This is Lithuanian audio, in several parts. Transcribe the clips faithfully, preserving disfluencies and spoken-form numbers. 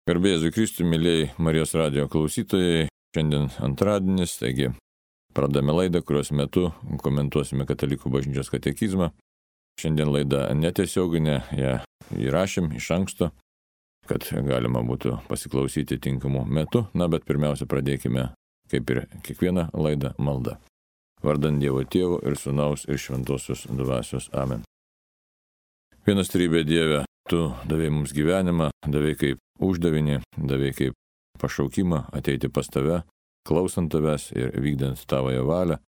Garbė Jėzui Kristui, mėlyjei Marijos radijo klausytojai, šiandien antradienis, taigi pradame laidą, kurios metu komentuosime Katalikų bažnyčios katekizmą. Šiandien laida netiesioginė, ją įrašėm iš anksto, kad galima būtų pasiklausyti tinkamu metu. Na, bet pirmiausia pradėkime, kaip ir kiekvieną laidą, maldą. Vardant Dievo Tėvo ir Sūnaus ir Šventosios Dvasios. Amen. Vienas trybė Dieve, Tu davei mums gyvenimą, davei kaip uždavinį, davei kaip pašaukimą ateiti pas Tave, klausant Tavęs ir vykdant Tavoją valią,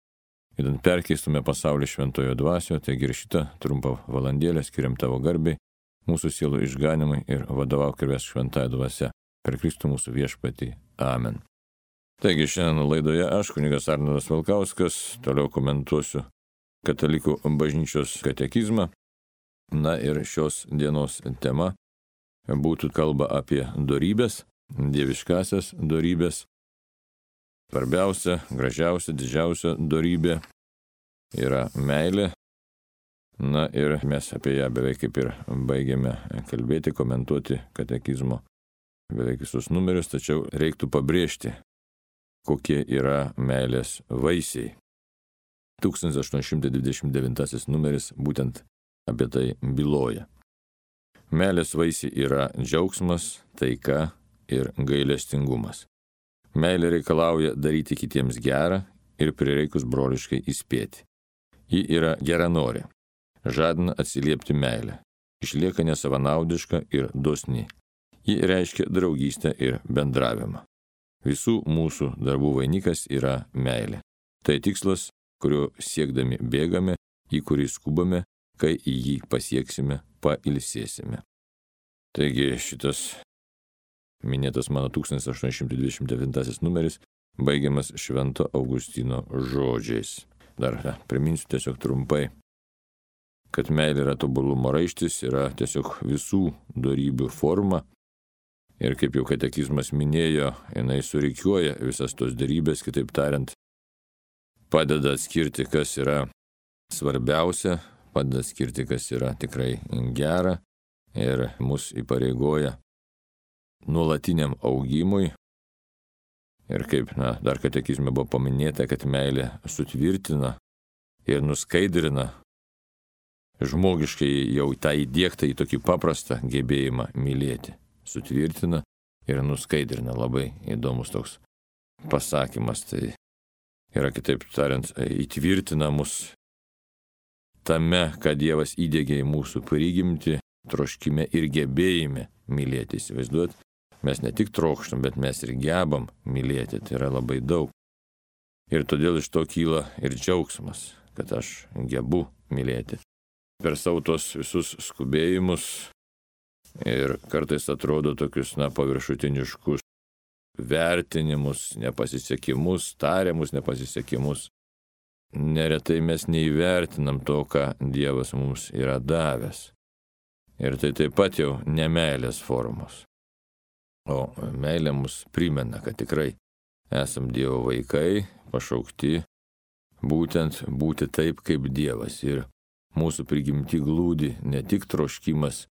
idant perkeistume pasaulį Šventojo Dvasioje, taigi ir šitą trumpą valandėlę skiriam Tavo garbei, mūsų sielų išganimai ir vadovauk ir vesk Šventąją Dvasią per Kristų mūsų viešpatį. Amen. Taigi šiandien laidoje aš, kunigas Arnoldas Valkauskas, toliau komentuosiu Katalikų bažnyčios katekizmą. Na ir šios dienos tema būtų kalba apie dorybės, dieviškasias dorybės. Svarbiausia, gražiausia, didžiausia dorybė yra meilė. Na ir mes apie ją beveik kaip ir baigėme kalbėti, komentuoti katekizmo beveik visus numerius, tačiau reiktų pabrėžti, kokie yra meilės vaisiai. tūkstantis aštuoni šimtai dvidešimt devintasis numeris būtent apie tai byloja. Meilės vaisiai yra džiaugsmas, taika ir gailestingumas. Meilė reikalauja daryti kitiems gerą ir prireikus broliškai įspėti. Ji yra geranorė, žadina atsiliepti meilę, išlieka nesavanaudiška ir dosni. Ji reiškia draugystę ir bendravimą. Visų mūsų darbų vainikas yra meilė. Tai tikslas, kurio siekdami bėgame, į kurį skubame, kai į jį pasieksime, pailsėsime. Taigi šitas minėtas mano tūkstantis aštuoni šimtai dvidešimt devintasis numeris baigiamas Švento Augustino žodžiais. Dar na, priminsiu tiesiog trumpai, kad meilė yra tobulumo raištis, yra tiesiog visų dorybių forma. Ir kaip jau katekizmas minėjo, jinai surikiuoja visas tos dorybės, kitaip tariant, padeda atskirti, kas yra svarbiausia, padeda skirti, kas yra tikrai gera ir mus įpareigoja nuolatiniam augimui. Ir kaip na, dar katekizme buvo paminėta, kad meilė sutvirtina ir nuskaidrina žmogiškai jau tą įdiegtą į tokį paprastą gebėjimą mylėti. Sutvirtina ir nuskaidrina. Labai įdomus toks pasakymas. Tai yra, kitaip tariant, įtvirtina mus tame, kad Dievas įdiegė į mūsų prigimtį, troškime ir gebėjime mylėti. Įsivaizduot, mes ne tik trokštam, bet mes ir gebam mylėti. Tai yra labai daug. Ir todėl iš to kyla ir džiaugsmas, kad aš gebu mylėti. Per savo tos visus skubėjimus ir kartais atrodo tokius, na, paviršutiniškus vertinimus, nepasisekimus, tariamus nepasisekimus. Neretai mes neįvertinam to, ką Dievas mums yra davęs. Ir tai taip pat jau nemeilės formos. O meilė mus primena, kad tikrai esam Dievo vaikai, pašaukti būtent būti taip kaip Dievas. Ir mūsų prigimti glūdi ne tik troškimas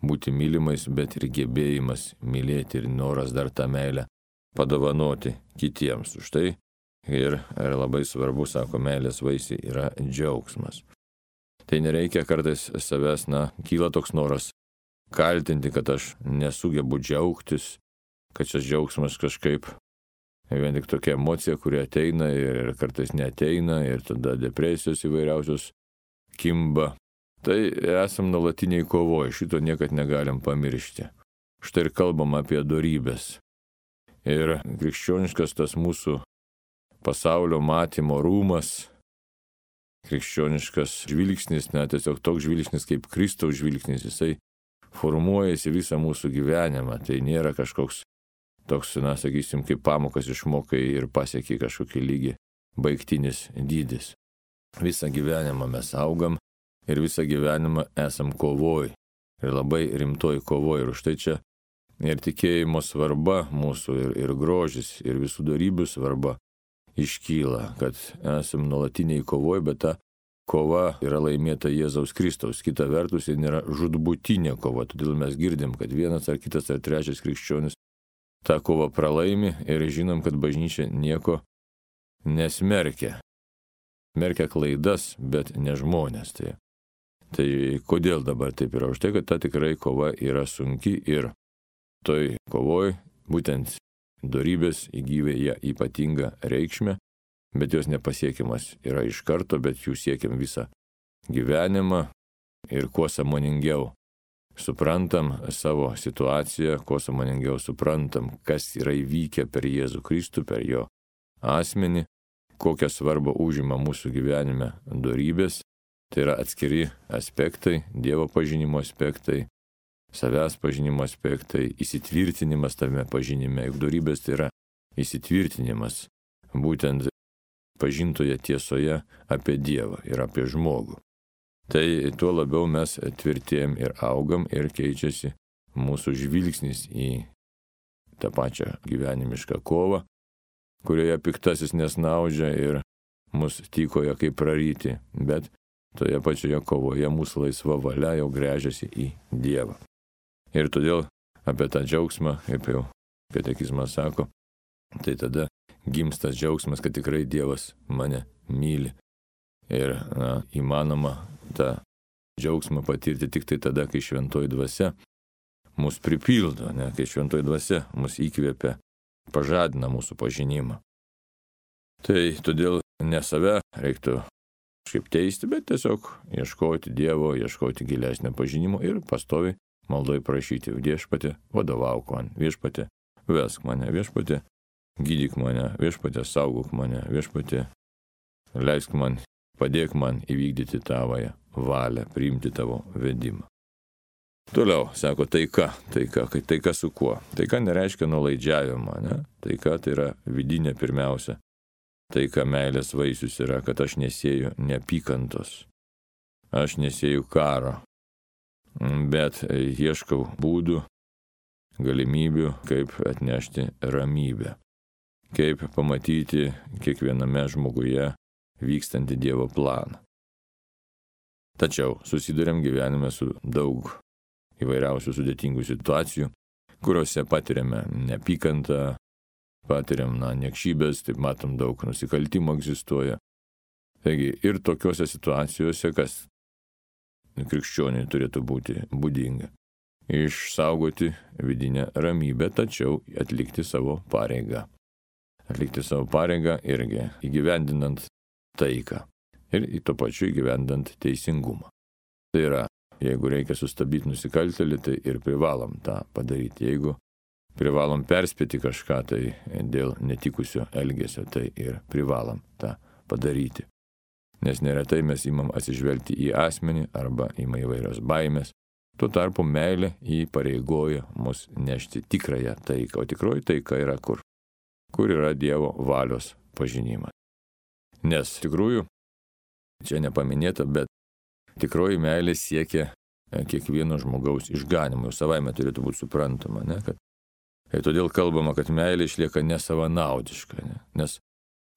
būti mylimais, bet ir gebėjimas mylėti ir noras dar tą meilę padovanoti kitiems. Už tai ir, ir labai svarbu, sako, meilės vaisiai yra džiaugsmas. Tai nereikia kartais savęs, na, kyla toks noras kaltinti, kad aš nesugebu džiaugtis, kad šis džiaugsmas kažkaip vien tik tokia emocija, kuri ateina ir kartais neateina ir tada depresijos įvairiausios kimba. Tai esam nuolatiniai kovoje, šito niekad negalim pamiršti. Štai ir kalbam apie dorybės. Ir krikščioniškas tas mūsų pasaulio matymo rūmas, krikščioniškas žvilgsnis, net tiesiog toks žvilgsnis kaip Kristaus žvilgsnis, jisai formuojasi visą mūsų gyvenimą. Tai nėra kažkoks toks, na, sakysim, kaip pamokas išmokai ir pasiekai kažkokį lygį, baigtinis dydis. Visą gyvenimą mes augam ir visą gyvenimą esam kovoj. Ir labai rimtoj kovoj. Ir už tai čia ir tikėjimo svarba mūsų, ir, ir grožis, ir visų dorybių svarba iškyla, kad esam nuolatiniai kovoj, bet ta kova yra laimėta Jėzaus Kristaus. Kita vertus, ji nėra žūtbūtinė kova. Todėl mes girdim, kad vienas ar kitas ar trečias krikščionis tą kovą pralaimi ir žinom, kad bažnyčia nieko nesmerkia. Smerkia klaidas, bet ne žmonės. Tai, tai kodėl dabar taip yra? Už tai, kad ta tikrai kova yra sunki ir toj kovoj būtent dorybės įgyja ypatingą reikšmę, bet jos nepasiekiamas yra iš karto, bet jų siekiam visą gyvenimą ir kuo sąmoningiau suprantam savo situaciją, kuo sąmoningiau suprantam, kas yra įvykę per Jėzų Kristų, per jo asmenį, kokią svarbą užima mūsų gyvenime dorybės, tai yra atskiri aspektai, Dievo pažinimo aspektai, savęs pažinimo aspektai, įsitvirtinimas tame pažinime, juk dorybės tai yra įsitvirtinimas, būtent pažintoje tiesoje apie Dievą ir apie žmogų. Tai tuo labiau mes tvirtėjam ir augam ir keičiasi mūsų žvilgsnis į tą pačią gyvenimišką kovą, kurioje piktasis nesnaudžia ir mus tykoja kaip praryti, bet toje pačioje kovoje mūsų laisva valia jau gręžiasi į Dievą. Ir todėl apie tą džiaugsmą, kaip jau katekizmas sako, tai tada gimsta džiaugsmas, kad tikrai Dievas mane myli. Ir na, įmanoma tą džiaugsmą patirti tik tai tada, kai šventoji dvasia mus pripildo, ne? Kai šventoji dvasia mus įkvėpia, pažadina mūsų pažinimą. Tai todėl ne save reiktų kažkaip teisti, bet tiesiog ieškoti Dievo, ieškoti gilesnio pažinimo ir pastoviai maldoj prašyti: Viešpatie, vadovauk man, Viešpatie, vesk mane, Viešpatie, gydyk mane, Viešpatie, saugok mane, Viešpatie, leisk man, padėk man įvykdyti tavąją valią, priimti tavo vedimą. Toliau, sako, taika, taika, kai taika su kuo? Taika nereiškia nuolaidžiavimą, ne? Taika tai yra vidinė pirmiausia. Taika meilės vaisius yra, kad aš nesėju neapykantos, aš nesėju karo, bet ieškau būdų, galimybių, kaip atnešti ramybę, kaip pamatyti kiekviename žmoguje vykstantį Dievo planą. Tačiau susiduriam gyvenime su daug įvairiausių sudėtingų situacijų, kuriuose patiriame neapykantą, patiriam na, niekšybės, taip matom, daug nusikaltimų egzistuoja. Taigi ir tokiuose situacijose, kas krikščioniui turėtų būti būdinga, išsaugoti vidinę ramybę, tačiau atlikti savo pareigą. Atlikti savo pareigą irgi įgyvendinant taiką ir į to pačiu įgyvendant teisingumą. Tai yra, jeigu reikia sustabdyti nusikaltėlį, tai ir privalom tą padaryti. Jeigu privalom perspėti kažką tai dėl netikusio elgesio, tai ir privalom tą padaryti. Nes neretai mes imam atsižvelgti į asmenį arba ima įvairios baimės. Tuo tarpu meilė įpareigoja mus nešti tikrąją taiką. O tikroji taika yra kur? Kur yra Dievo valios pažinimas. Nes tikrųjų, čia nepaminėta, bet tikroji meilė siekia kiekvieno žmogaus išganimo. Jau savaime turėtų būti suprantama, ne? Kad, ir todėl kalbama, kad meilė išlieka nesavanaudiška, ne? Nes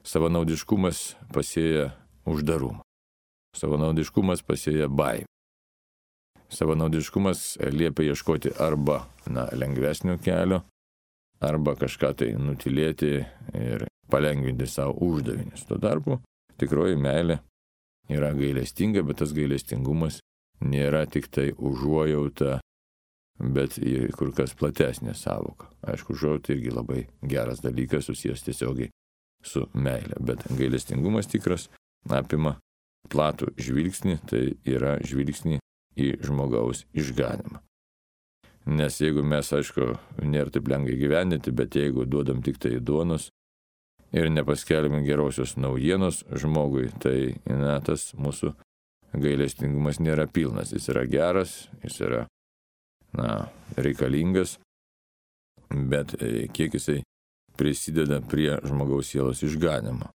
savanaudiškumas pasėja uždarumą. Savanaudiškumas pasėja baimę. Savanaudiškumas liepia ieškoti arba na, lengvesnio kelio, arba kažką tai nutilėti ir palengvinti savo uždavinius. Tuo tarpu tikroji meilė yra gailestinga, bet tas gailestingumas nėra tik tai užuojauta, bet kur kas platesnė sąvoka. Aišku, užuojauta irgi labai geras dalykas, susijęs tiesiogiai su meilė, bet gailestingumas tikras apima platų žvilgsnį, tai yra žvilgsnį į žmogaus išganimą. Nes jeigu mes, aišku, nėra taip lengva gyvendinti, bet jeigu duodam tik tai duonos ir nepaskelbime gerosios naujienos žmogui, tai na, tas mūsų gailestingumas nėra pilnas. Jis yra geras, jis yra na, reikalingas, bet kiek jisai prisideda prie žmogaus sielos išganimo.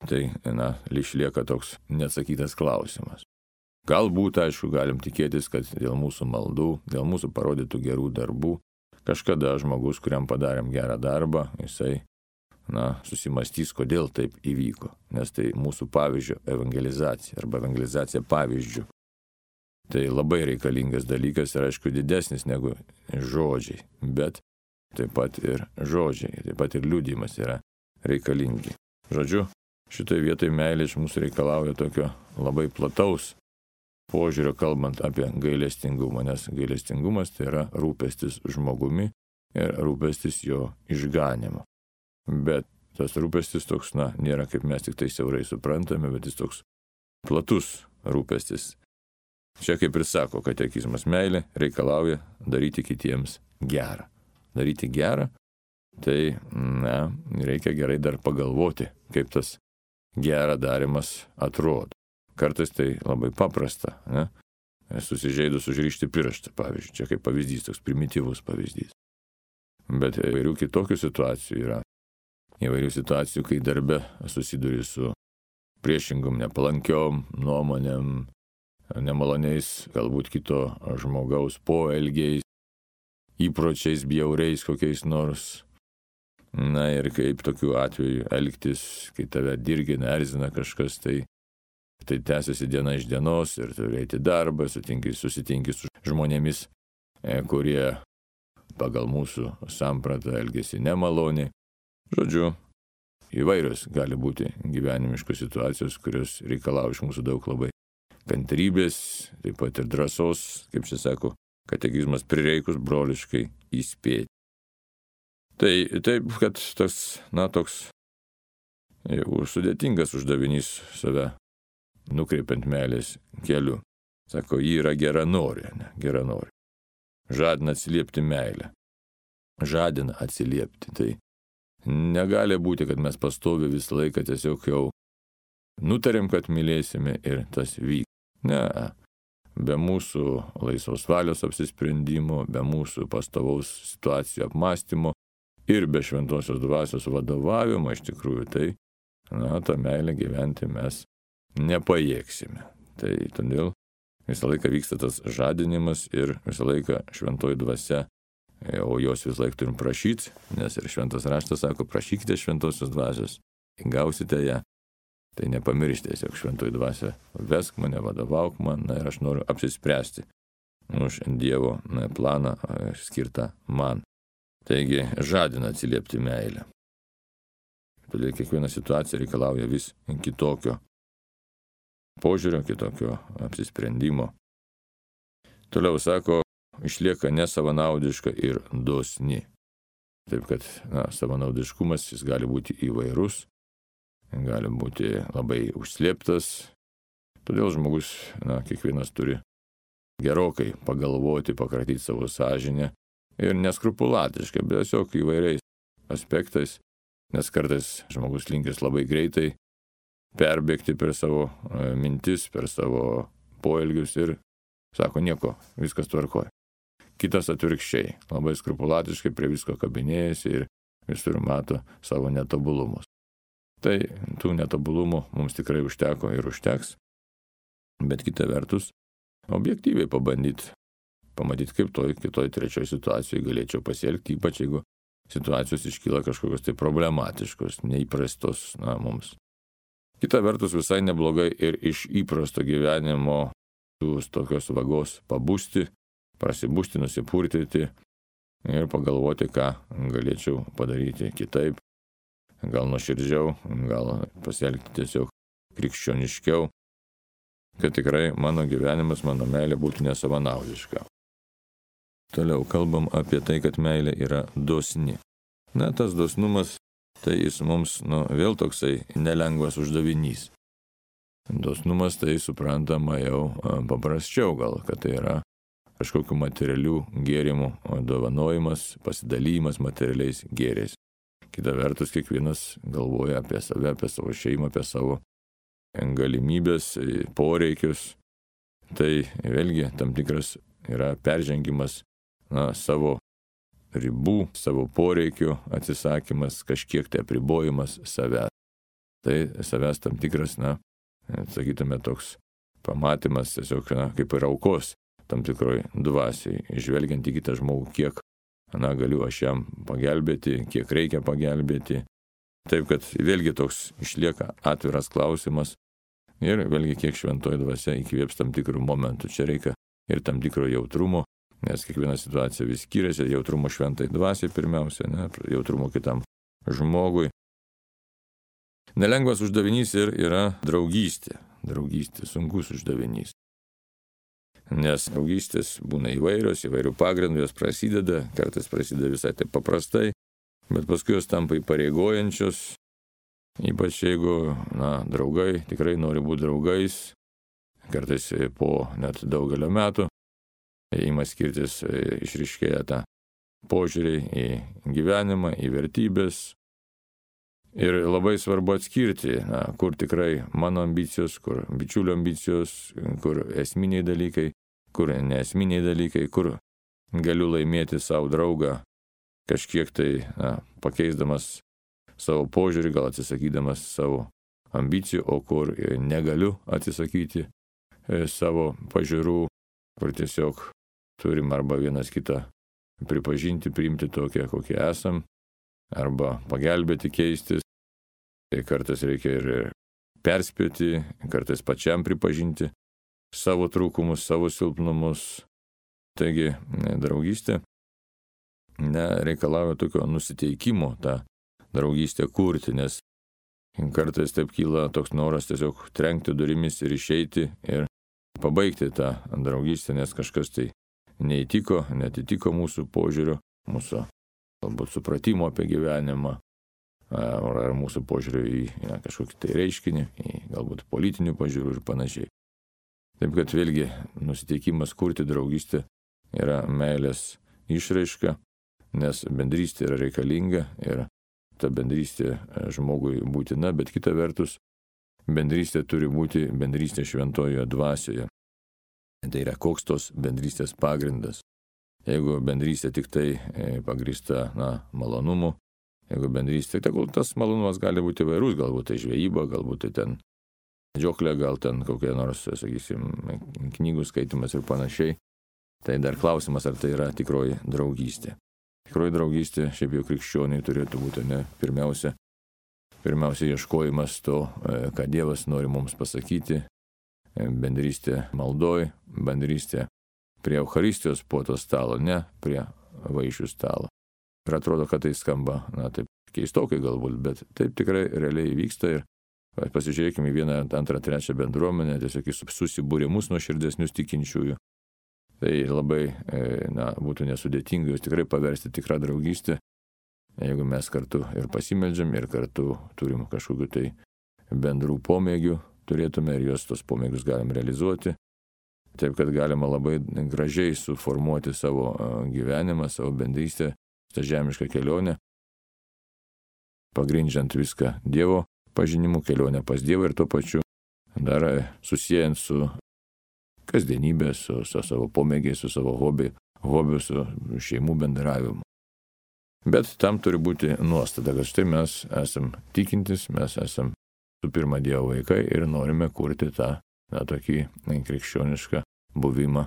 Tai na, išlieka toks neatsakytas klausimas. Galbūt, aišku, galim tikėtis, kad dėl mūsų maldų, dėl mūsų parodytų gerų darbų, kažkada žmogus, kuriam padarėm gerą darbą, jisai, na, susimastys, kodėl taip įvyko. Nes tai mūsų pavyzdžio evangelizacija arba evangelizacija pavyzdžių. Tai labai reikalingas dalykas ir, aišku, didesnis negu žodžiai. Bet taip pat ir žodžiai, taip pat ir liudijimas yra reikalingi. Žodžiu, šitoje vietoje meilė iš mūsų reikalauja tokio labai plataus požiūrio, kalbant apie gailestingumą, nes gailestingumas tai yra rūpestis žmogumi ir rūpestis jo išganymu. Bet tas rūpestis toks, na, nėra kaip mes tik tai siaurai suprantame, bet jis toks platus rūpestis. Čia kaip ir sako katekizmas, meilė reikalauja daryti kitiems gerą. Daryti gerą, tai, na, reikia gerai dar pagalvoti, kaip tas gerą darimas atrodo. Kartais tai labai paprasta, ne? Susižeidus užrišti pirštą, pavyzdžiui, čia kaip pavyzdys, toks primityvus pavyzdys. Bet įvairių kitokių situacijų yra. Įvairių situacijų, kai darbe susiduri su priešingom, nepalankiom nuomonėm, nemaloniais, galbūt kito žmogaus poelgiais, įpročiais, bjauriais kokiais nors. Na ir kaip tokiu atveju elgtis, kai tave dirgina, erzina kažkas, tai, tai tęsiasi diena iš dienos ir turi eiti darbą, sutinki, susitinki su žmonėmis, kurie pagal mūsų sampratą elgesi nemaloniai. Žodžiu, įvairios gali būti gyvenimiškos situacijos, kurios reikalauja iš mūsų daug labai kantrybės, taip pat ir drąsos, kaip čia sako katekizmas, prireikus broliškai įspėti. Tai taip, kad tas, na, toks jau sudėtingas uždavinys save nukreipiant meilės keliu. Sako, ji yra geranorė, ne, geranorė. Žadina atsiliepti meilę. Žadina atsiliepti. Tai negali būti, kad mes pastovi visą laiką tiesiog jau nutarėm, kad mylėsime ir tas vyks. Ne, be mūsų laisvos valios apsisprendimo, be mūsų pastovaus situacijų apmąstymo ir be šventosios dvasios vadovavimo iš tikrųjų, tai, na, tą meilę gyventi mes nepajėgsime. Tai todėl visą laiką vyksta tas žadinimas ir visą laiką šventoji dvasia, o jos visą laiką turim prašyti, nes ir šventas raštas sako, prašykite šventosios dvasios, gausite ją. Tai nepamiršti, tiesiog šventoji dvasia, vesk mane, vadovauk man, na ir aš noriu apsispręsti už Dievo na, planą skirtą man. Taigi žadina atsiliepti meilę. Todėl kiekviena situacija reikalauja vis kitokio požiūrio, kitokio apsisprendimo. Toliau sako, išlieka nesavanaudiška ir dosni. Taip kad na, savanaudiškumas jis gali būti įvairus, gali būti labai užslėptas. Todėl žmogus, na, kiekvienas turi gerokai pagalvoti, pakratyti savo sąžinę ir neskrupulatiškai, bet tiesiog įvairiais aspektais, nes kartais žmogus linkęs labai greitai perbėgti per savo mintis, per savo poelgius ir sako nieko, viskas tvarkoja. Kitas atvirkščiai, labai skrupulatiškai prie visko kabinėjasi ir visur mato savo netobulumus. Tai tų netobulumų mums tikrai užteko ir užteks, bet kita vertus, objektyviai pabandyti, pamatyti, kaip toj kitoj trečioj situacijoje galėčiau pasielgti, ypač jeigu situacijos iškyla kažkokios tai problematiškos, neįprastos na, mums. Kita vertus, visai neblogai ir iš įprasto gyvenimo tų tokios vagos pabusti, prasibusti, nusipurtyti ir pagalvoti, ką galėčiau padaryti kitaip. Gal nuoširdžiau, gal pasielgti tiesiog krikščioniškiau, kad tikrai mano gyvenimas, mano meilė būtų nesavanaudiška. Toliau kalbam apie tai, kad meilė yra dosni. Na, tas dosnumas, tai jis mums, nu, vėl toksai nelengvas uždavinys. Dosnumas tai suprantama jau paprasčiau gal, kad tai yra kažkokių materialių gėrimų dovanojimas, pasidalymas materialiais gėriais. Kita vertus, kiekvienas galvoja apie save, apie savo šeimą, apie savo galimybės, poreikius. Tai vėlgi tam tikras yra peržengimas na, savo ribų, savo poreikių atsisakymas, kažkiek tai apribojimas savęs. Tai savęs tam tikras, na, sakytume, toks pamatymas tiesiog na, kaip ir aukos tam tikroj dvasiai, žvelgiant į kitą žmogų, kiek na, galiu aš jam pagelbėti, kiek reikia pagelbėti. Taip, kad vėlgi toks išlieka atviras klausimas ir vėlgi kiek šventoji dvasia įkvėps tam tikrų momentų. Čia reikia ir tam tikro jautrumo, nes kiekviena situacija vis skiriasi, jautrumo šventai dvasiai pirmiausia, ne, jautrumo kitam žmogui. Nelengvas uždavinys ir yra draugystė. Draugystė, sunkus uždavinys. Nes draugystės būna įvairios, įvairių pagrindų, jos prasideda, kartais prasideda visai taip paprastai, bet paskui jos tampa įpareigojančios, ypač jeigu, na, draugai tikrai nori būti draugais, kartais po net daugelio metų, ima skirtis, išryškėja tą požiūrį į gyvenimą, į vertybės. Ir labai svarbu atskirti, na, kur tikrai mano ambicijos, kur bičiulio ambicijos, kur esminiai dalykai, kur neesminiai dalykai, kur galiu laimėti savo draugą kažkiek tai, na, pakeisdamas savo požiūrį, gal atsisakydamas savo ambicijų, o kur negaliu atsisakyti savo pažiūrų, kur tiesiog turim arba vienas kitą pripažinti, priimti tokią, kokie esam, arba pagelbėti keistis. Tai kartais reikia ir perspėti, kartais pačiam pripažinti savo trūkumus, savo silpnumus. Taigi, draugystė nereikalauja tokio nusiteikimo tą draugystę kurti, nes kartais taip kyla toks noras tiesiog trenkti durimis ir išeiti ir pabaigti tą draugystę, nes kažkas tai neįtiko, netitiko mūsų požiūrio, mūsų galbūt supratimo apie gyvenimą, ar mūsų požiūrio į ja, kažkokį tai reiškinį, į galbūt politinių požiūrių ir panašiai. Taip kad vėlgi nusiteikimas kurti draugystę yra meilės išraiška, nes bendrystė yra reikalinga ir ta bendrystė žmogui būtina, bet kita vertus, bendrystė turi būti bendrystė šventojoje dvasioje. Tai yra koks tos bendrystės pagrindas. Jeigu bendrystė tik tai pagrįsta, na, malonumu, jeigu bendrystė, tai tas malonumas gali būti įvairus, galbūt tai žvejyba, galbūt tai ten medžioklė, gal ten kokie nors, sakysim, knygų skaitimas ir panašiai. Tai dar klausimas, ar tai yra tikroji draugystė. Tikroji draugystė, šiaip jau krikščioniai turėtų būti, ne, pirmiausia, pirmiausia ieškojimas to, ką Dievas nori mums pasakyti, bendrystė maldoj, bendrystė prie Eucharistijos puoto stalo, ne prie vaišių stalo. Ir atrodo, kad tai skamba, na, taip keistokai galbūt, bet taip tikrai realiai vyksta ir pasižiūrėkime į vieną, antrą, trečią bendruomenę, tiesiog į susibūrimus nuoširdesnius tikinčiųjų. Tai labai, na, būtų nesudėtinga jūs tikrai paversti tikrą draugystę, jeigu mes kartu ir pasimeldžiam, ir kartu turim kažkokiu tai bendrų pomėgių, turėtume ir juos tos pomėgius galim realizuoti. Taip, kad galima labai gražiai suformuoti savo gyvenimą, savo bendrystę, tą žemišką kelionę, pagrindžiant viską Dievo pažinimu, kelionę pas Dievą ir tuo pačiu dar susijęs su kasdienybė, su, su savo pomėgiais, su savo hobiu, hobiu, su šeimų bendravimu. Bet tam turi būti nuostata, kad štai mes esam tikintis, mes esam su pirma Dievo vaikai ir norime kurti tą na, tokį krikščionišką buvimą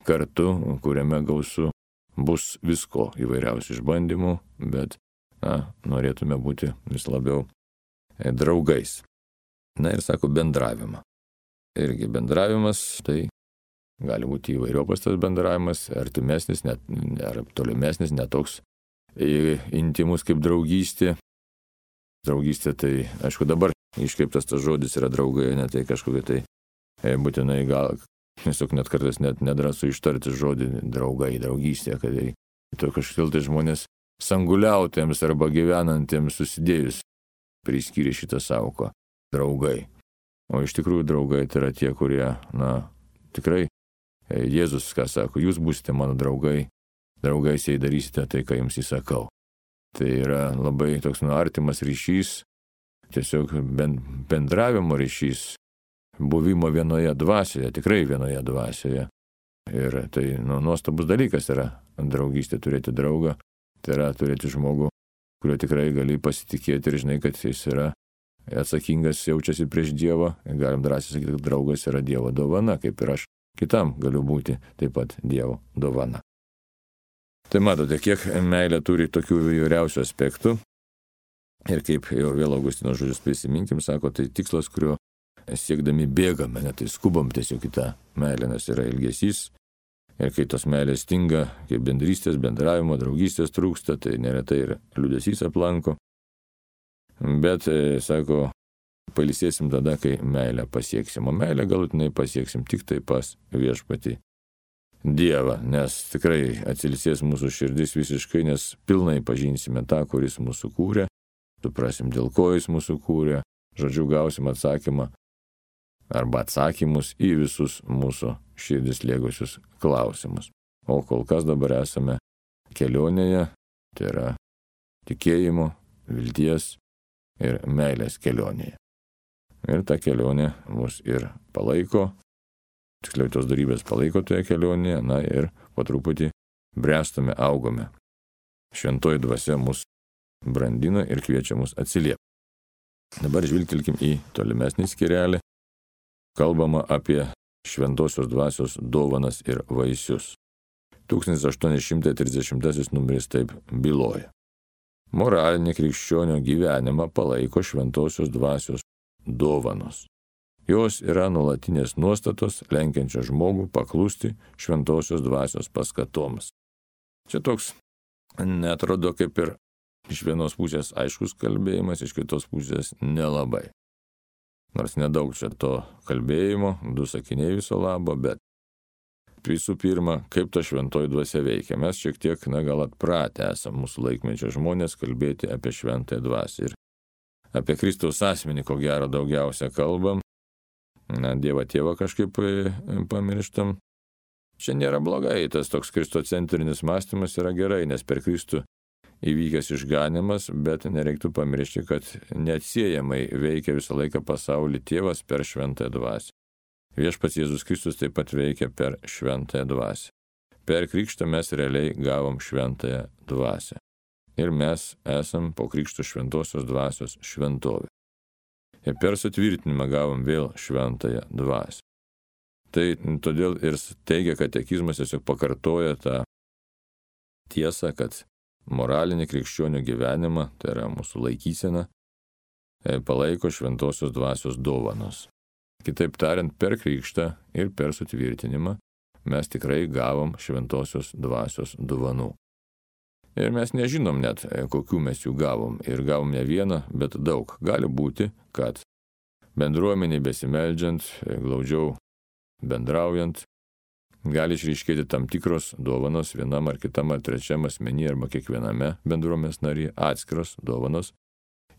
kartu, kuriame gausu bus visko įvairiausių išbandymų, bet na, norėtume būti vis labiau draugais. Na ir sako bendravimą. Irgi bendravimas, tai gali būti įvairiopas tas bendravimas, artimesnis, net, ar tolimesnis, netoks intimus kaip draugystė. Draugystė tai, aišku, dabar iškreiptas tas žodis yra draugai, ne tai kažkokia tai būtinai gal, tiesiog net kartais net nedrąsu ištarti žodį draugai, draugystė, kad tai to kažkaip tai žmonės sanguliautėms arba gyvenantiems susidėjus priskyrė šitą sąvoką draugai. O iš tikrųjų draugai tai yra tie, kurie, na, tikrai Jėzus, ką sako, jūs būsite mano draugai, draugais jei darysite tai, ką jums įsakau. Tai yra labai toks nu, artimas ryšys, tiesiog bendravimo ryšys, buvimo vienoje dvasioje, tikrai vienoje dvasioje. Ir tai nu, nuostabus dalykas yra draugystė, turėti draugą, tai yra turėti žmogų, kurio tikrai gali pasitikėti ir žinai, kad jis yra atsakingas, jaučiasi prieš Dievą. Galim drąsiai sakyti, kad draugas yra Dievo dovana, kaip ir aš kitam galiu būti taip pat Dievo dovana. Tai matote, kiek meilė turi tokių įvairiausių aspektų. Ir kaip jau vėl Augustino žodžius prisiminkim, sako, tai tikslas, kurio siekdami bėgame, ne tai skubam tiesiog į tą meilę, nes yra ilgesys. Ir kai tos meilės stinga, kai bendrystės, bendravimo, draugystės trūksta, tai neretai ir liūdesys aplanko. Bet, sako, pailsėsim tada, kai meilę pasieksim. O meilę galutinai pasieksim tik tai pas viešpatį Dievą, nes tikrai atsilsės mūsų širdis visiškai, nes pilnai pažinsime tą, kuris mūsų kūrė, suprasim, dėl ko jis mūsų kūrė, žodžiu, gausim atsakymą arba atsakymus į visus mūsų širdis liegusius klausimus. O kol kas dabar esame kelionėje, tai yra tikėjimo, vilties ir meilės kelionėje. Ir ta kelionė mus ir palaiko, tiksliau tos darybės palaiko toje kelionėje, na ir po truputį bręstame, augome. Šventoji dvasia mus brandina ir kviečia mus atsiliepti. Dabar žvilgtelkim į tolimesnį skyrelį. Kalbama apie šventosios dvasios dovanas ir vaisius. tūkstantis aštuoni šimtai trisdešimtasis numeris taip byloja. Moralinį krikščionio gyvenimą palaiko šventosios dvasios dovanos. Jos yra nuolatinės nuostatos, lenkiančios žmogų paklusti šventosios dvasios paskatoms. Čia toks neatrodo kaip ir iš vienos pusės aiškus kalbėjimas, iš kitos pusės nelabai. Nors nedaug čia to kalbėjimo, du sakiniai viso labo, bet visų pirma, kaip ta šventoji dvasia veikia. Mes šiek tiek, na, gal atpratę esame mūsų laikmečio žmonės kalbėti apie šventąją dvasią. Ir apie Kristaus asmenį, ko gero, daugiausia kalbam. Na, Dievą tėvą kažkaip pamirštam. Čia nėra blogai, tas toks kristocentrinis mąstymas yra gerai, nes per Kristų įvykęs išganimas, bet nereiktų pamiršti, kad neatsiejamai veikia visą laiką pasaulį tėvas per šventąją dvasią. Viešpats Jėzus Kristus taip pat veikia per šventąją dvasią. Per krikštą mes realiai gavom šventąją dvasią. Ir mes esam po krikšto šventosios dvasios šventovė. Ir per sutvirtinimą gavom vėl šventąją dvasią. Tai todėl ir teigia katekizmas, tiesiog pakartoja tą tiesą, kad moralinį krikščionių gyvenimą, tai yra mūsų laikysena, palaiko šventosios dvasios dovanos. Kitaip tariant, per krikštą ir per sutvirtinimą mes tikrai gavom šventosios dvasios dovanų. Ir mes nežinom net, kokių mes jų gavom. Ir gavom ne vieną, bet daug. Gali būti, kad bendruomeniai besimeldžiant, glaudžiau bendraujant, gali išryškėti tam tikros dovanos vienam ar kitam ar trečiam asmenį arba kiekviename bendruomenės nariai atskiros dovanos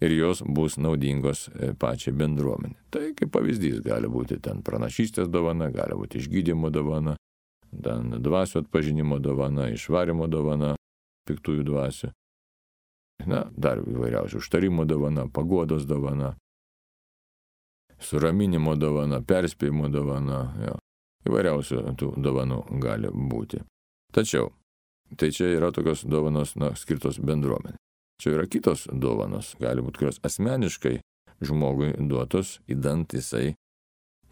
ir jos bus naudingos pačiai bendruomenė. Tai kaip pavyzdys gali būti ten pranašystės dovana, gali būti išgydymo dovana, ten dvasių atpažinimo dovana, išvarimo dovana, piktųjų dvasių. Na, dar įvairiausių užtarimo dovana, paguodos dovana, suraminimo dovana, perspėjimo dovana, jo. Įvairiausių tų dovanų gali būti. Tačiau, tai čia yra tokios dovanos, na, skirtos bendruomenė. Čia yra kitos dovanos, gali būti, kurios asmeniškai žmogui duotos, įdant jisai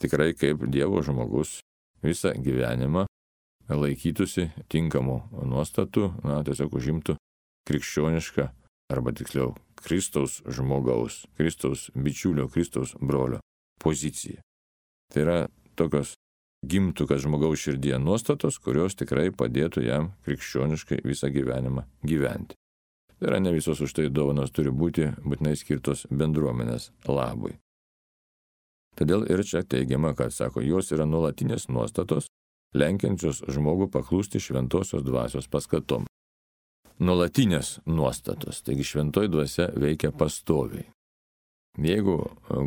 tikrai kaip Dievo žmogus visą gyvenimą laikytųsi tinkamų nuostatų, na, tiesiog užimtų krikščionišką, arba tiksliau, Kristaus žmogaus, Kristaus bičiulio, Kristaus brolio poziciją. Tai yra tokios gimtų, kad žmogaus širdyje nuostatos, kurios tikrai padėtų jam krikščioniškai visą gyvenimą gyventi. Tai yra ne visos už tai dovanos turi būti būtinai skirtos bendruomenės labui. Todėl ir čia teigiama, kad, sako, jos yra nuolatinės nuostatos, lenkiančios žmogų paklusti šventosios dvasios paskatom. Nuolatinės nuostatos, taigi šventoji dvasia veikia pastoviai. Jeigu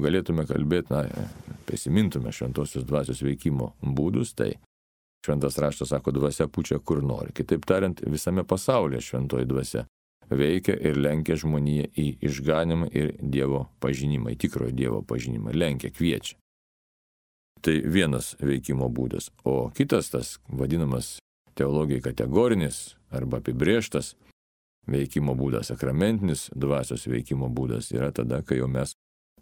galėtume kalbėti, na, prisimintume šventosios dvasios veikimo būdus, tai šventas raštas sako, dvasia pučia kur nori. Kitaip tariant, visame pasaulyje šventoji dvasia veikia ir lenkia žmoniją į išganimą ir Dievo pažinimą, į tikrojo Dievo pažinimą, lenkia, kviečia. Tai vienas veikimo būdas. O kitas, tas vadinamas teologijai kategorinis arba apibrėžtas veikimo būdas, sakramentinis dvasios veikimo būdas yra tada, kai jau mes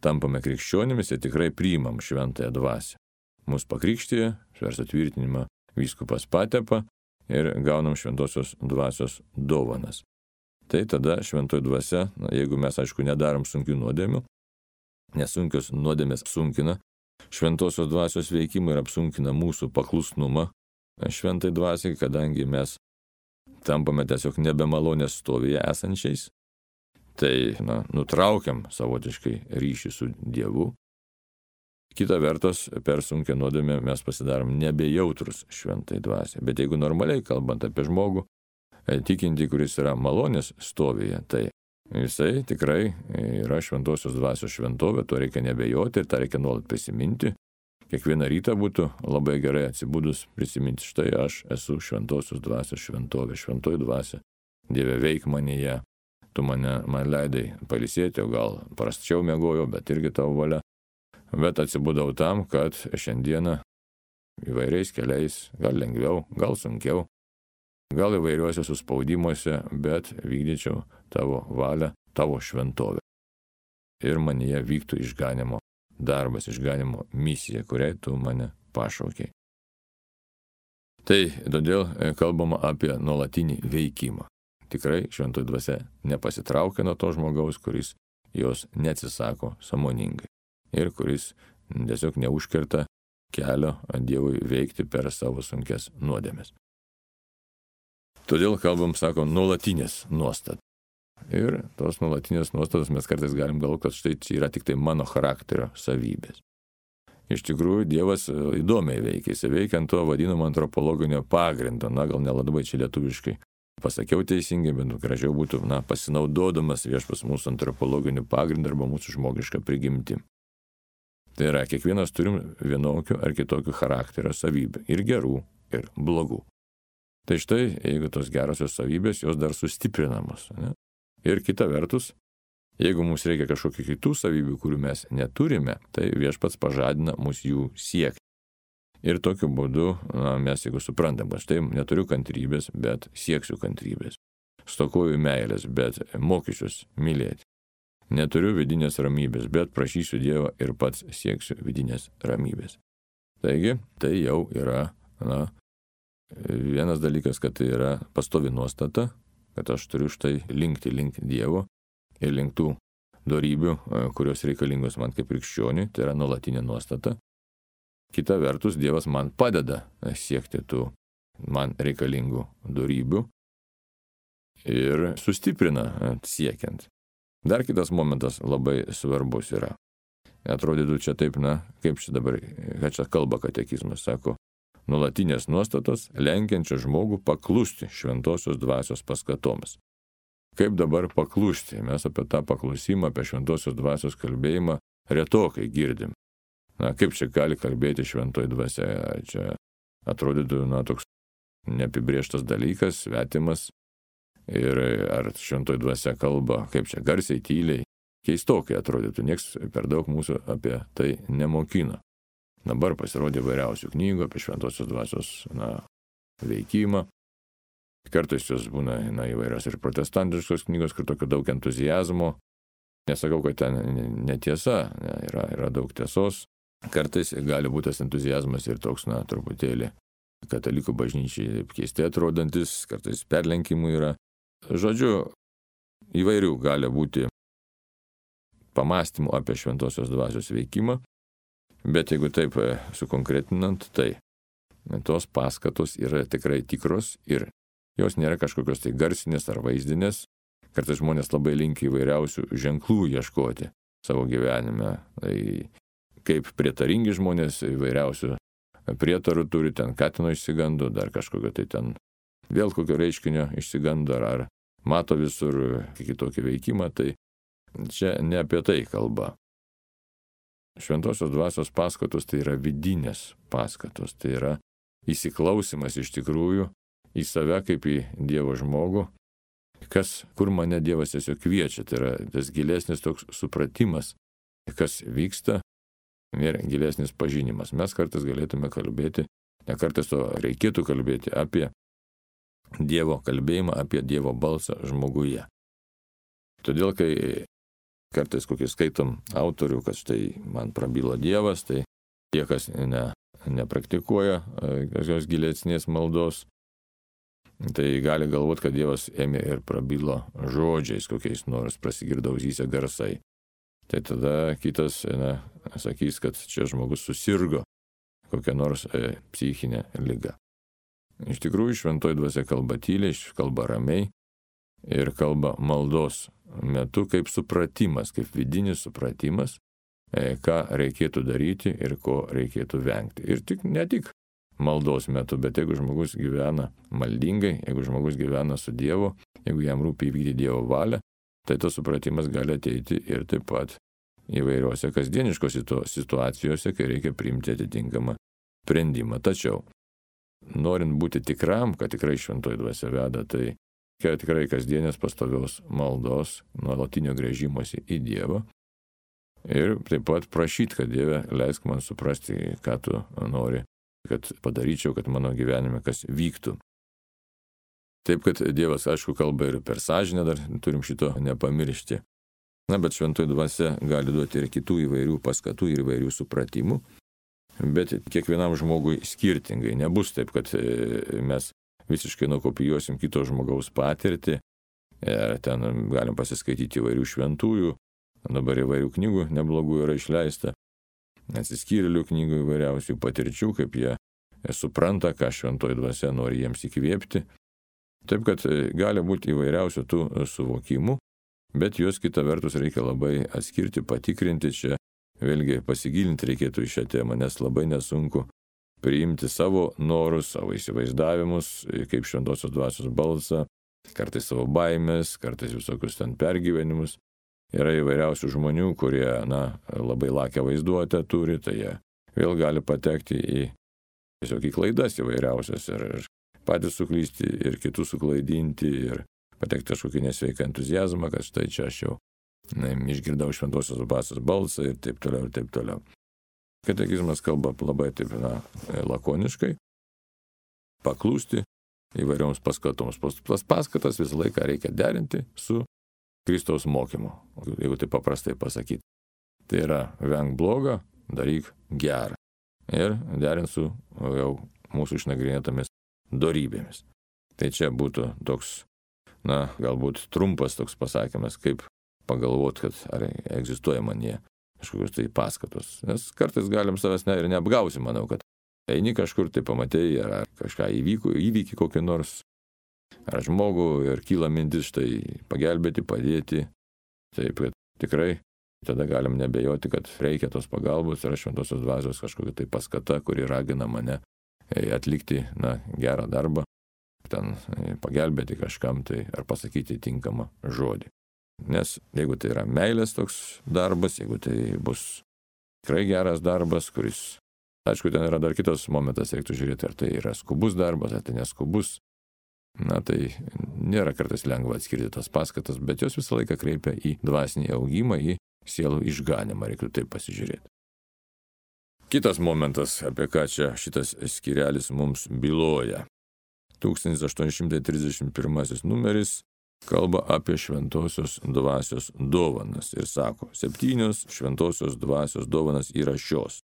tampame krikščionimis ir tikrai priimam šventąją dvasią. Mus pakrikštija, per sutvirtinimą vyskupas patepa ir gaunam šventosios dvasios dovanas. Tai tada šventoji dvasia, na, jeigu mes, aišku, nedarom sunkių nuodėmių, nes sunkios nuodėmės sunkina šventosios dvasios veikimą ir apsunkina mūsų paklusnumą šventai dvasiai, kadangi mes tampame tiesiog nebemalonės stovyje esančiais, tai na, nutraukiam savotiškai ryšį su Dievu. Kita vertus, per sunkią nuodėmę mes pasidarom nebejautrus šventai dvasiai. Bet jeigu normaliai kalbant apie žmogų, tikinti, kuris yra malonės stovyje, tai jisai tikrai yra šventosios dvasios šventovė, to reikia nebejoti ir tą reikia nuolat prisiminti. Kiekvieną rytą būtų labai gerai atsibudus prisiminti, štai aš esu šventosios dvasios šventovė, šventoji dvasia, Dieve veik manyje, tu mane, man leidai pailsėti, o gal prasčiau miegojau, bet irgi tavo valia. Bet atsibudau tam, kad šiandieną įvairiais keliais, gal lengviau, gal sunkiau, gal įvairiuose suspaudimuose, bet vykdyčiau tavo valią, tavo šventovę. Ir manyje vyktų išganimo darbas, išganimo misija, kuriai tu mane pašaukei. Tai todėl kalbama apie nuolatinį veikimą. Tikrai šventoji dvasia nepasitraukia nuo to žmogaus, kuris jos neatsisako sąmoningai ir kuris tiesiog neužkerta kelio Dievui veikti per savo sunkias nuodėmes. Todėl kalbam, sako, nuolatinės nuostatos. Ir tos nuolatinės nuostatos mes kartais galim galvoti, kad štai čia yra tik tai mano charakterio savybės. Iš tikrųjų, Dievas įdomiai veikia, jis veikia ant to vadinamo antropologinio pagrindo, na gal nelabai čia lietuviškai pasakiau teisingai, bet gražiau būtų, na, pasinaudodamas viešpas mūsų antropologiniu pagrindu arba mūsų žmogišką prigimtį. Tai yra, kiekvienas turim vienokių ar kitokių charakterio savybių, ir gerų, ir blogų. Tai štai, jeigu tos gerosios savybės, jos dar sustiprinamos. Ne? Ir kita vertus, jeigu mums reikia kažkokių kitų savybių, kurių mes neturime, tai viešpats pažadina mus jų siekti. Ir tokiu būdu, na, mes jeigu suprantam, kad štai neturiu kantrybės, bet sieksiu kantrybės. Stokoju meilės, bet mokysiuos mylėti. Neturiu vidinės ramybės, bet prašysiu Dievą ir pats sieksiu vidinės ramybės. Taigi, tai jau yra, na, vienas dalykas, kad tai yra pastovi nuostata, kad aš turiu štai linkti link Dievo ir link tų dorybių, kurios reikalingos man kaip krikščioniui, tai yra nuolatinė nuostata. Kita vertus, Dievas man padeda siekti tų man reikalingų dorybių ir sustiprina siekiant. Dar kitas momentas labai svarbus yra. Atrodytų čia taip, na, kaip čia dabar, kad čia kalba katekizmas, sako, nuolatinės nuostatos lenkiančios žmogų paklusti šventosios dvasios paskatoms. Kaip dabar paklusti? Mes apie tą paklusimą, apie šventosios dvasios kalbėjimą retokai girdim. Na, kaip čia gali kalbėti šventoji dvasia? Čia atrodytų, na, toks neapibrėžtas dalykas, svetimas. Ir ar šventoji dvasia kalba, kaip čia garsiai, tyliai, keistokai atrodytų, nieks per daug mūsų apie tai nemokino. Dabar pasirodė vairiausių knygų apie šventosios dvasios, na, veikimą. Kartais jos būna, na, įvairios ir protestantiškos knygos, kur tokio daug entuzijazmo. Nesakau, kad ten netiesa, ne, yra, yra daug tiesos. Kartais gali būti tas entuzijazmas ir toks, na, truputėlį katalikų bažnyčiai keistai atrodantis, kartais perlenkimų yra. Žodžiu, įvairių gali būti pamastymų apie šventosios dvasios veikimą, bet jeigu taip sukonkretinant, tai tos paskatos yra tikrai tikros ir jos nėra kažkokios tai garsinės ar vaizdinės. Kartais žmonės labai linki įvairiausių ženklų ieškoti savo gyvenime. Tai kaip prietaringi žmonės įvairiausių prietarų turi, ten katino išsigando, dar kažkokio tai ten vėl kokio reiškinio išsigando, ar, ar mato visur kitokį veikimą, tai čia ne apie tai kalba. Šventosios dvasios paskatos tai yra vidinės paskatos, tai yra įsiklausimas iš tikrųjų į save kaip į Dievo žmogų, kas, kur mane Dievas tiesiog kviečia, tai yra tas gilesnis toks supratimas, kas vyksta ir gilesnis pažinimas. Mes kartais galėtume kalbėti, ne kartais to reikėtų kalbėti apie Dievo kalbėjimą, apie Dievo balsą žmoguje. Todėl, kai kartais kokį skaitom autorių, kad štai man prabylo Dievas, tai tie, kas ne, nepraktikuoja kažkokios gilesnės maldos, tai gali galvoti, kad Dievas ėmė ir prabilo žodžiais, kokiais nors prasigirdo ausyse garsai. Tai tada kitas, na, sakys, kad čia žmogus susirgo kokią nors e, psichinę ligą. Iš tikrųjų, šventoji dvasia kalba tyliai, kalba ramiai ir kalba maldos metu kaip supratimas, kaip vidinis supratimas, ką reikėtų daryti ir ko reikėtų vengti. Ir tik, ne tik maldos metu, bet jeigu žmogus gyvena maldingai, jeigu žmogus gyvena su Dievu, jeigu jam rūpi įvykdyti Dievo valią, tai tas supratimas gali ateiti ir taip pat įvairiuose kasdieniškose situacijose, kai reikia priimti atitinkamą sprendimą. Tačiau, norint būti tikram, kad tikrai šventoji dvasia veda, tai kad tikrai kasdienės pastovios maldos, nuolatinio gręžimosi į Dievą ir taip pat prašyti, kad Dieve leisk man suprasti, ką tu nori, kad padaryčiau, kad mano gyvenime kas vyktų. Taip, kad Dievas, aišku, kalba ir per sąžinę, dar turim šito nepamiršti. Na, bet šventoji dvasia gali duoti ir kitų įvairių paskatų ir įvairių supratimų, bet kiekvienam žmogui skirtingai. Nebus taip, kad mes visiškai nukopijuosim kito žmogaus patirtį, ir ten galim pasiskaityti įvairių šventųjų, dabar įvairių knygų neblogų yra išleista, atsiskyrėlių knygų įvairiausių patirčių, kaip jie supranta, ką šventoji dvasia nori jiems įkvėpti. Taip, kad gali būti įvairiausių tų suvokimų, bet juos kita vertus reikia labai atskirti, patikrinti, čia vėlgi pasigilinti reikėtų į šią temą, nes labai nesunku priimti savo norus, savo įsivaizdavimus, kaip šventosios dvasios balsą, kartais savo baimės, kartais visokius ten pergyvenimus. Yra įvairiausių žmonių, kurie, na, labai lakią vaizduotę turi, tai jie vėl gali patekti į tiesiog į klaidas įvairiausias ir, ir patys suklysti, ir kitus suklaidinti, ir patekti kažkokį nesveiką entuzijazmą, kad štai čia aš jau na, išgirdau šventosios dvasios balsą ir taip toliau, ir taip toliau. Katekizmas kalba labai taip, na, lakoniškai, paklūsti įvairioms paskatoms. Tas paskatas visą laiką reikia derinti su Kristaus mokymu, jeigu tai paprastai pasakyti. Tai yra, venk blogą, daryk gerą. Ir derint su jau mūsų išnagrinėtomis dorybėmis. Tai čia būtų toks, na, galbūt trumpas toks pasakymas, kaip pagalvoti, kad ar egzistuoja manyje kažkokios tai paskatos. Nes kartais galim savęs ne, ir neapgausi, manau, kad eini kažkur, tai pamatei, ar kažką įvyko, įvykį kokį nors, ar žmogų, ir kyla mintis štai pagelbėti, padėti. Taip, kad tikrai tada galim nebejoti, kad reikia tos pagalbos, yra šventosios dvasios kažkokia tai paskata, kuri ragina mane atlikti, na, gerą darbą, ten pagelbėti kažkam tai, ar pasakyti tinkamą žodį. Nes jeigu tai yra meilės toks darbas, jeigu tai bus tikrai geras darbas, kuris, aišku, ten yra dar kitas momentas, reiktų žiūrėti, ar tai yra skubus darbas, ar tai neskubus. Na, tai nėra kartais lengva atskirti tas paskatas, bet jos visą laiką kreipia į dvasinį augimą, į sielų išganimą, reiktų taip pasižiūrėti. Kitas momentas, apie ką čia šitas skyrelis mums byloja. tūkstantis aštuoni šimtai trisdešimt pirmasis numeris kalba apie šventosios dvasios dovanas ir sako, septynios šventosios dvasios dovanas yra šios.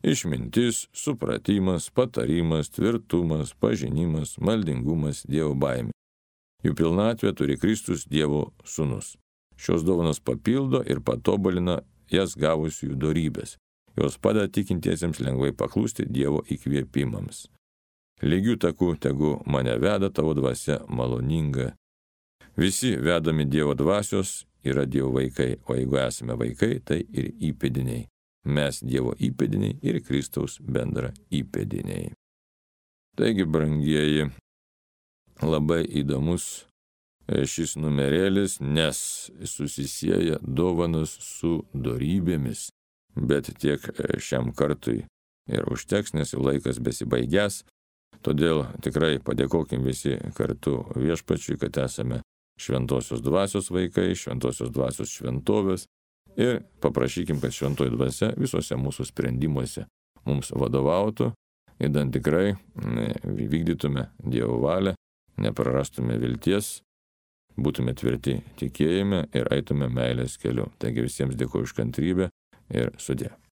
Išmintis, supratimas, patarimas, tvirtumas, pažinimas, maldingumas, Dievo baimė. Jų pilnatvę turi Kristus Dievo sūnus. Šios dovanos papildo ir patobulina jas gavusiųjų dorybės. Jos padeda tikintiesiems lengvai paklūsti Dievo įkvėpimams. Lygių takų tegu mane veda tavo dvasia maloninga. Visi vedami Dievo dvasios yra Dievo vaikai, o jeigu esame vaikai, tai ir įpėdiniai. Mes Dievo įpėdiniai ir Kristaus bendra įpėdiniai. Taigi, brangieji, labai įdomus šis numerėlis, nes susisieja dovanos su dorybėmis, bet tiek šiam kartui ir užteks, nes jau laikas besibaigęs. Todėl tikrai padėkokim visi kartu Viešpačiui, kad esame šventosios dvasios vaikai, šventosios dvasios šventovės ir paprašykim, kad šventoji dvasia visuose mūsų sprendimuose mums vadovautų, idant tikrai vykdytume Dievo valią, neprarastume vilties, būtume tvirti tikėjime ir eitume meilės keliu. Taigi visiems dėkoju už kantrybę ir sudie.